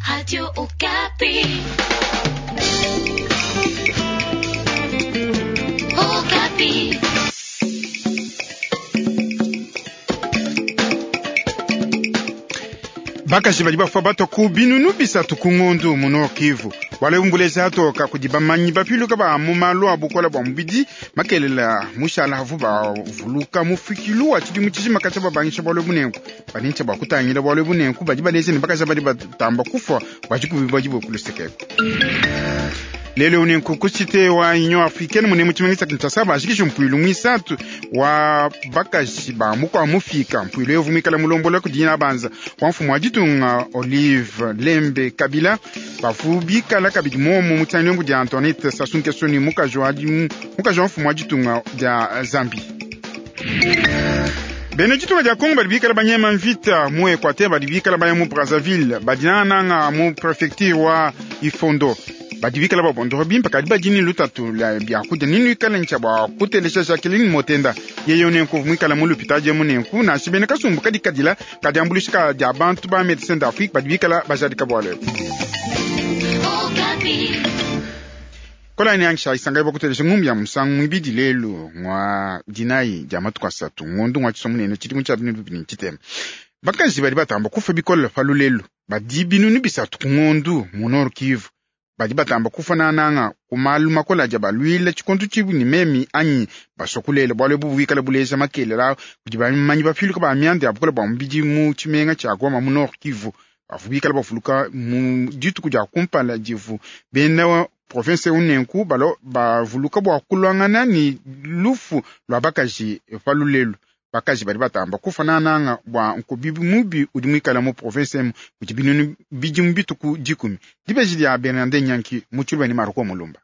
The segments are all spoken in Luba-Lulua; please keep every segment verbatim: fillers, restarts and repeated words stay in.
Radio Okapi. Okapi. Bakaji badi bafua batua ku binunu bisatu ku ngondu mu Nord Kivu. Wale atoka kudi bamanyi bapiluka ba mu malu a bukola bua mubidi makelela mushala havu bavuluka mufikilu wa tshidimu tshijima katshia babangisha bualu ebu nenku banintsha bua kutangila bualu ebu nenku badi baleja ne bakaji badi batamba kufua badi kubibadibue ku lusekeko. Lelo nenku ku cité wa Union Africaine mune mu tshimenga tshia Kinshasa bajikisha mpuilu muisatu wa bakaji ba mukua mufika. Mpuilu evu muikala mulombola kudi banza wa mfumu wa ditunga Olive Lembe Kabila bavu bikala kabidi momu mu tshianyi dia Antoinette Sassou Nguesso ni mukaji wa mukaji wa mfumu wa ditunga dia Zambie. Bena ditunga dia Kongo badi bikala banyema mvita mu Equateur badi bikala baya mu Brazzaville badi nananga mu prefecture wa Ifondo badi bikala babondoro bimpe kadi badi ni lutatu lua biakudia ninu ikala ntshia bua kutelesha Jacqueline Motenda yeye nenku muikala mu lupitadi emu nenku nansha bena kasumbu kadi kadila kadi ambuluisha ka dia bantu ba Médecins d'Afrique badi bikala bajadika bualu ebu. Okapi. Kola ni angisha isanga ibo kutelesha ngumbi ya musangu mwibidi lelu ngwa dinayi dia matuku asatu ngondu ngwa tshisomu nene tshidimu tshia binu bibini tshitema. Bakaji badi batamba kufa bikole pa lulelu badi binunu bisatu ku ngondu mu Nord Kivu badi batamba kufa nananga ku malu makola adi abaluila tshikondu tshibu ni memi anyi basokulele bualu ebu buikala buleja makelela kudi bamanyi bapiluka ba mianda ya bukola bua mubidi mu tshimenga tshia Goma mu Nord Kivu bavu bikala bavuluka mu dituku dia kumpala divu bena province unenku balo bavuluka bua kulwangana ni lufu lua bakaji pa lulelu. Bakaji badi batamba kufa nananga bua nkubi mubi udi muikala mu province emu kudi binunu bidimu bituku dikumi. Dibeji dia Bernardin Nyanki mu tshiluba ni Marco Mulumba.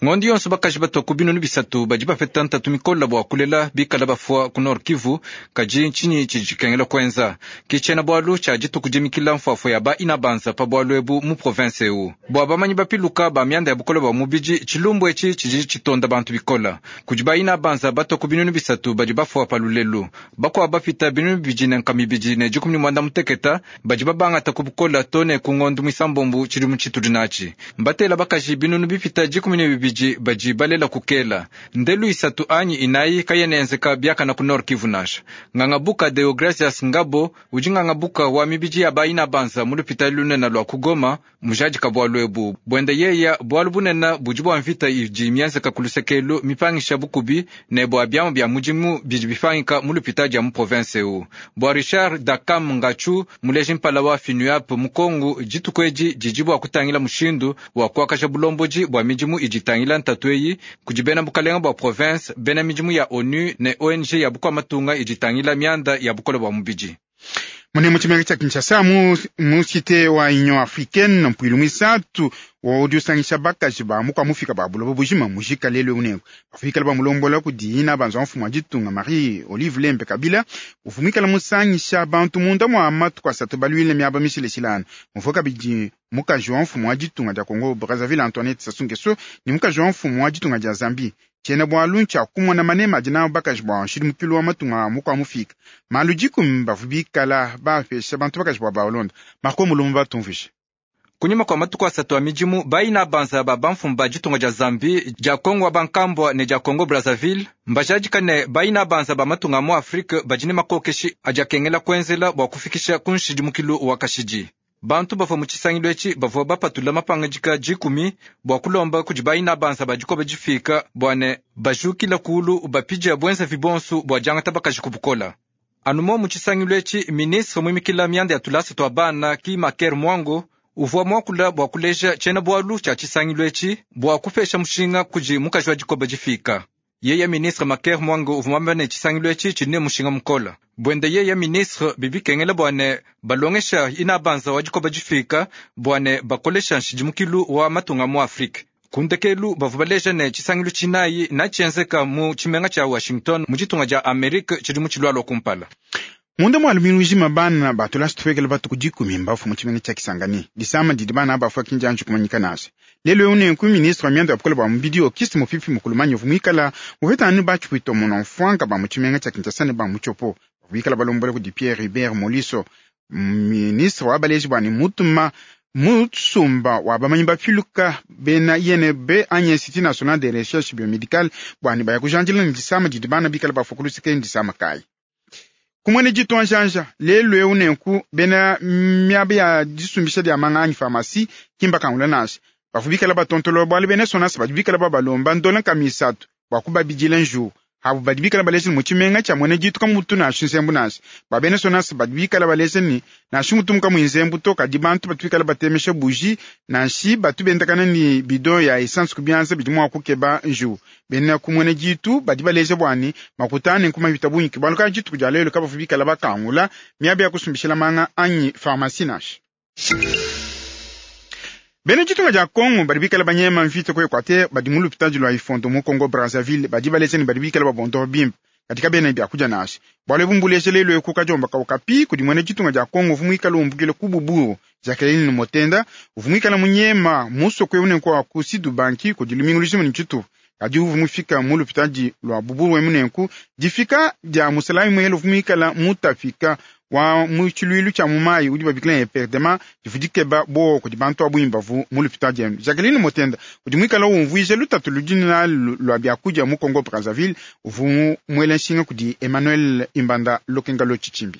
Ngondi yonso bakaji batua ku binunu bisatu badi bapeta ntatu mikola bua kulela bikala bafua ku Nord Kivu kadi ntshinyi tshidi tshikengela kuenza ke tshiena bualu tshia dituku dimikila mfuafua ya ba inabanza pa bualu ebu mu province ewu bua bamanyi bapiluka ba mianda ya bukola bua mubidi tshilumbu etshi tshidi tshitonda bantu bikola kudi ba inabanza batua ku binunu bisatu badi bafua pa lulelu bakuabu bapita binunu bibidi ne nkama ibidi ne dikumi ne muanda muteketa badi babangata ku bukola to ne ku ngondu muisambombu tshidimu tshitudi natshi mbatela bakaji binunu bipita dikumi ne bibidi badi balela kukela ndelu isatu anyi inayi kayenenzeka biakana ku Nord Kivu nasha ngangabuka Deogracias Ngabo udi ngangabuka wa mibidi ya bayina banza mu lupitali lunene lua kugoma mujadika bualu ebu buende yeya bualu bunene budi bua mvita idi mienzeka ku lusekelu mipangisha bukubi ne bua biamu bia mudimu bidi bipangika mu lupitali dia mu province ewu bua Richard Dakam Ngachu muleji mpala wa FINUAP mu Kongo dituku edi didi bua kutangila mushindu wa kuakaja bulombodi bua midimu idi itangila ntatu eyi kudi bena bukalenga bua province bena midimu ya ONU ne O N G ya bukua matunga idi itangila mianda ya bukola bua mubidi. Mune mu tshimenga tshia Kinshasa mu, mu cité wa Union Africaine mpuilu muisatu wa udi usangisha bakaji ba mukua mufika ba buloba bujima mujika lelu unenku bafikala ba mulombola kudi ina banza mfumu wa ditunga Marie Olive Lembe Kabila uvumikala musangisha bantu munda mua matuku asatu baluile miaba mishileshilana muvua kabidi mukaji wa mfumu wa ditunga dia Congo Brazzaville Antoinette Sassou Nguesso ni mukaji wa mfumu wa ditunga dia Zambie tshiena bualu ntshia kumona manema adi nawu bakaji bua nshidimukilu wa matunga mukua mufika malu dikumi bavu bikala bapesha bantu bakaji bua balonda Marco Mulumba batumvishe. Kunyima kwa matuku asatu a midimu bayina banza ba bamfumu ba ditunga dia Zambie dia Kongo wa bankambwa ne dia Congo Brazzaville mbajadika ne bayina banza ba matunga mu Afrika badi ne makokeshi adi akengela kuenzela bua kufikisha ku nshidimukilu wa kashidi. Bantu bavua mu tshisangilu etshi bavua bapatula mapangadika dikumi bua kulomba kudi bayina banza ba dikoba difika bua ne bajukila kulu bapidia buenzavi bonsu bua diangata bakaji ku bukola. Anumo mu tshisangilu etshi ministre muimikila mianda ya tulasa tua bana ki Maker Mwango uvua muakula bua kuleja tshiena bualu tshia tshisangilu etshi bua kupesha mushinga kudi mukaji wa dikoba difika. Yeye ministre Maker Mwango uvua muamba ne tshisangilu etshi tshidi ne mushinga mukola. Buende yeye ministre bibikengela bua ne balongesha ina banza wa dikoba difika bua ne bakolesha nshidimukilu wa matunga mu Afrika. Kundekelu bavua baleja ne tshisangilu tshinayi natshienzeka mu tshimenga tshia Washington mu ditunga dia Amerika tshidi mu tshilualua kumpala. Munda mwa lumingu jima bana batula situfekele batuku dikumi mbafu mu tshimenga tshia Kisangani disama didi bana bafua kinjanji kumanyika naso. Lelo eu nenku ministre wa mianda ya bukola bua mubidi Auguste Mofifi Mukulumanyi uvua muikala mupetanu batshipwito muno mfuanka ba mu tshimenga tshia Kinshasa ne ba mu Tshopo bikala balombola kudi Pierre Hubert Moliso ministre wa baleji bua ne mutuma Musumba wa bamanyi bapiluka bena I N B anyi Institut National de Recherche Biomedicale bwani baya kujanjila ni disama didi bana bikala bafua ku luseke ni disama kayi. Kumwene ditu anjanja lelu eu nenku bena miaba ya disumbisha dia manga anyi pharmacie kimba kangula nansha. Bafu bikala batontolo bwale bena sonasa badi bikala babalomba ndola nkama isatu bwa kubabidila njuwu. Abo badi bikala balesha ni mu tshimenga tshia mwene ditu kamutu nansha nzembu nansha. Ba bena sonasa badi bikala balesha ni nansha mutu muka muinzembu to kadi bantu batu bikala batemesha buji nansha batu bendakana ni bidon ya essence kubianza bidi mua kukeba njuwu. Bena ku mwene ditu badi balesha bwani makutane nkuma bita bungi bualu ka dituku dia lelu kabafu bikala bakangula miaba ya kusumbishila manga anyi pharmacie nansha. Bena ditunga dia Congo badi bikala banyema mvita ku Equateur badi mu lupitadi lua Ifondo mu Congo Brazzaville badi balesha ni badi bikala babondoa bimpe katika bena biakudia nansha. Bualu ebu mbulesha lelu eku kadiomba kaukapi kudi mwene ditunga dia Congo uvua muikale umbukile ku Buburu Jacqueline Motenda uvua muikale munyema musoko eu nenku wa ku Sidubanki kudi lumingu lujima ne tshitupa. Kadi uvua mufika mu lupitadi lua Buburu emu nenku difika dia musalayi muhele uvua muikale mutafika wa mu tshiluilu tshia mu mayi udi babikila ne perdema divu dikeba bowa kudi bantu abu imbavu mu lupitadi emu. Jacqueline Motenda udi muikale umvuija lutatu ludi nalu lua biakudia mu Congo Brazzaville uvua muele nshinga kudi Emmanuel Imbanda Lokenga lo Tshitshimbi.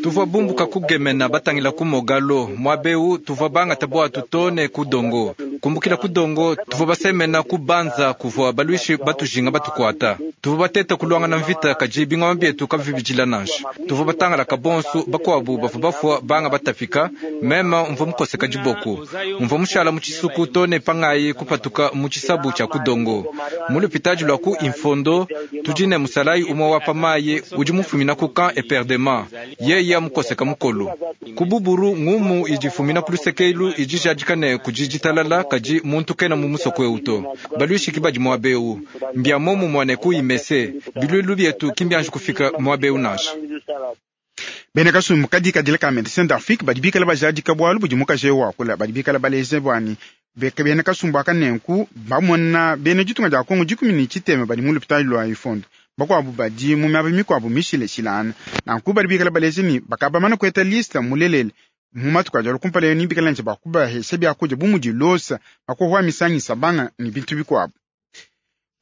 Tuvua bumbuka kugemena batangila ku Mogalo mwabeu tuvua bangata bwatu tone ku Dongo kumbukila ku Dongo tuvua basemena ku Banza kuvua balwishi batujinga batukwata tuvua bateta kulwangana mvita kadi bingoma bietu kabivibidila nansha tuvua batangala kabonsu bakwabu bavua bafua banga batafika mema mvua mukoseka diboku mvua mushala mu tshisuku tone pangayi kupatuka mu tshisabu tshia ku Dongo mu lupitadi lwa ku Infondo tudi ne musalayi umwe wa pamayi udi mufumina ku camp eperdement yeya mukoseka mukolo ku Buburu ngumu idifumina ku lusekelu idijadika ne kudi ditalala kadi muntu kena mu musoko eu to balwishiki badi muabeu mbia momu mwane ku imese bilwilu bietu kimbianji kufika muabeu nansha. Bena kasumbu kadi kadila ka Medecins d'Afrique badi bikala bajadika bualu budi mukaji wakula badi bikala baleze bwani bena kasumbu aka nenku bamona bena ditunga dia Kongo dikumi ne tshitema badi mu lupitadi lua Ifondo bakwabu badi mu miaba mikuabu mishileshilana nanku badi bikala baleze ni bakabamana kueta lista mulelele mu matuku adi alu kumpala ni bikala nje bakubahesha biakudia bu mudi losa makohwa misangisa banga ni bintu bikuabu.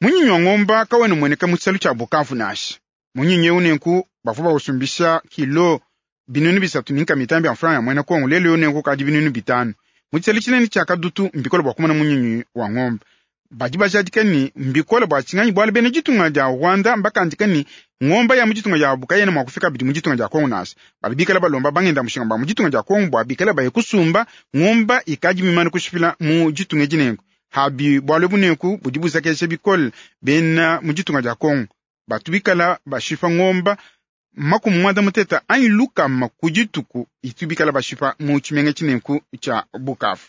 Munyinyi wa ngomba kawena mueneka mu tshisalu tshia Bukavu nansha. Munyinyi eu nenku bavua bausumbisha kilo binunu bisatu ni nkama itanu bia mfranga ya mwena Kongo lelu eu nenku kadi binunu bitanu. Mu tshisalu tshinene tshia Kadutu mbikole bua kumona munyinyi wa ngomba. Badi bajadika ni mbikole bua tshinganyi bualu bena ditunga dia Rwanda mbakandika ni ngomba ya mu ditunga dia Bukayena mua kufika bidi mu ditunga dia Kongo nansha. Badi bikala balomba bangenda mushinga ba mu ditunga dia Kongo bua bikala baye kusumba ngomba ikadi mimane kushipila mu ditunga dinenku. Habi bualu bunenku budi buzakesha bikole bena mu ditunga dia Kongo. Batu bikala bashipa ngomba makumi mwanda muteta anyi lukama ku dituku itu bikala bashipa mu tshimenga tshinenku tshia Bukavu.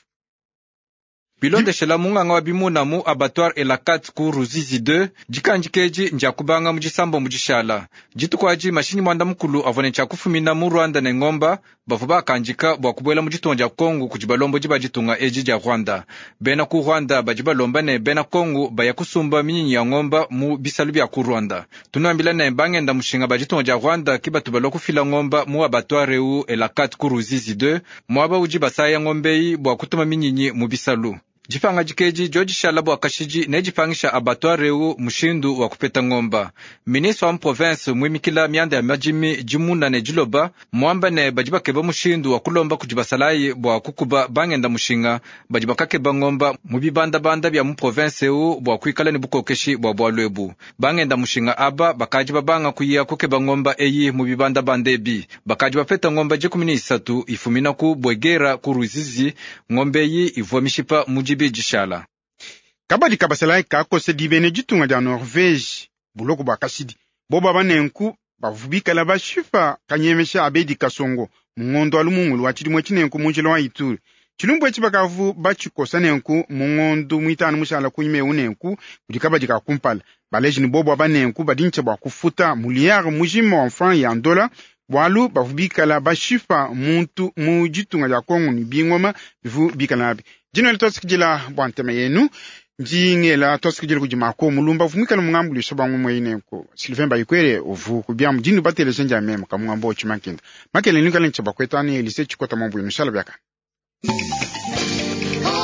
Bilondeshela munganga wa bimuna mu abattoir Elakat ku Ruzizi deux dikandikeji nja kubanga mu disambo mu dishala dituku adi mashinyi mwanda mukulu avua ne tshia mu Rwanda ne ngomba bavua bakandika bua kubuela mu ditunga dia Kongo kudi balombo diba ditunga edi dia Rwanda. Bena ku Rwanda badi balomba ne bena Kongo baya kusumba minyinyi ya ngomba mu bisalu bia ku Rwanda. Tunuambila ne bangenda mushinga ba ditunga dia Rwanda ki batu balua kufila ngomba mu abattoir eu Elakat ku Ruzizi deux muaba udi basaya ngombeyi bua kutuma minyinyi mu bisalu. Dipanga dikeji dio dishala bua kashidi ne dipangisha abattoir eu mushindu wa kupeta ngomba. Ministre wa province muimikila mianda ya madimi dimuna ne diloba muamba ne badi bakeba mushindu wa kulomba kudi basalayi bua kukuba bangenda mushinga badi bakakeba ngomba mu bibandabanda bia mu province eu bua kuikala ne bukokeshi bua bualu ebu. Bangenda mushinga aba bakadi babanga kuya kukeba ngomba eyi mu bibandabanda ebi bakadi bapeta ngomba dikumi ne isatu ifumina ku Bwegera ku Ruzizi ngombe eyi ivua mishipa mu dishala. Kabadi kabasalayi kakose dibene ditunga dia Norvege buloko bua kashidi boba banenku bavubikala bashipa kanyemesha abedi kasongo mungondo alu mungulu wa tshidimue tshinenku mu njila wa Ituri. Tshilumbu etshi bakavu batshikosa nenku mungondo muitanu mushala kunyima eu nenku kudi kabadi ka kumpala baleji ni bobo abanenku badintsha bua kufuta muliyare mujima wa franc ya ndola bualu bavubikala bashipa muntu mu ditunga dia Kongo ni bingoma bivu bikala nabi. Dino litosikidila bua ntema yenu Ndingela twasikidile kudi Marco Mulumba uvu mwikale mungambuluisha bamwe mweineko Sylvain Bayikwele uvu kubyamu dinu bateleja ndia meme kamungamba ochimankenda makele nikale nchabakwetani Elise Chikota mambu inushala byaka.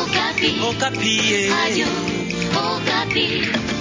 Okapi. Okapi. Radio Okapi.